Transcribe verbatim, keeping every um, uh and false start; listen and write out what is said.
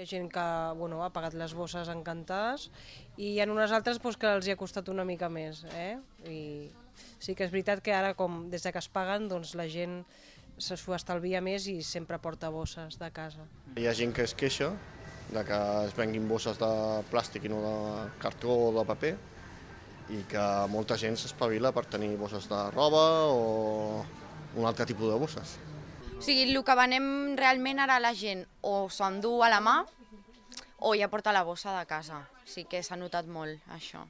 ha gent que bueno, ha pagat les bosses encantades i hi ha unes altres doncs, que els hi ha costat una mica més. Eh? I sí que és veritat que ara, com des de que es paguen, doncs, la gent s'ho estalvia més i sempre porta bosses de casa. Hi ha gent que es queixa de que es venguin bosses de plàstic i no de cartó o de paper i que molta gent s'espavila per tenir bosses de roba o un altre tipus de bosses. O sigui, el que venem realment ara la gent o s'ho endú a la mà o ja porta la bossa de casa. Sí que s'ha notat molt, això.